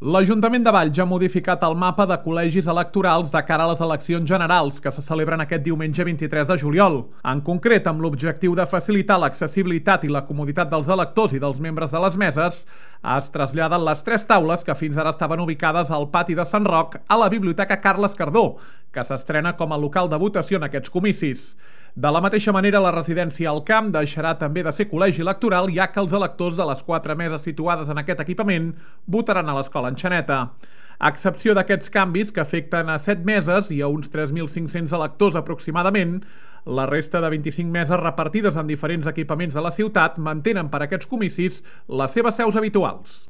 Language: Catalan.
L'Ajuntament de Valls ha modificat el mapa de col·legis electorals de cara a les eleccions generals que se celebren aquest diumenge 23 de juliol. En concret, amb l'objectiu de facilitar l'accessibilitat i la comoditat dels electors i dels membres de les meses, es traslladen les 3 taules que fins ara estaven ubicades al pati de Sant Roc a la Biblioteca Carles Cardó, que s'estrena com a local de votació en aquests comicis. De la mateixa manera, la residència al Camp deixarà també de ser col·legi electoral, ja que els electors de les 4 meses situades en aquest equipament votaran a l'Escola Enxaneta. A excepció d'aquests canvis, que afecten a 7 meses i a uns 3.500 electors aproximadament, la resta de 25 meses repartides en diferents equipaments de la ciutat mantenen per a aquests comicis les seves seus habituals.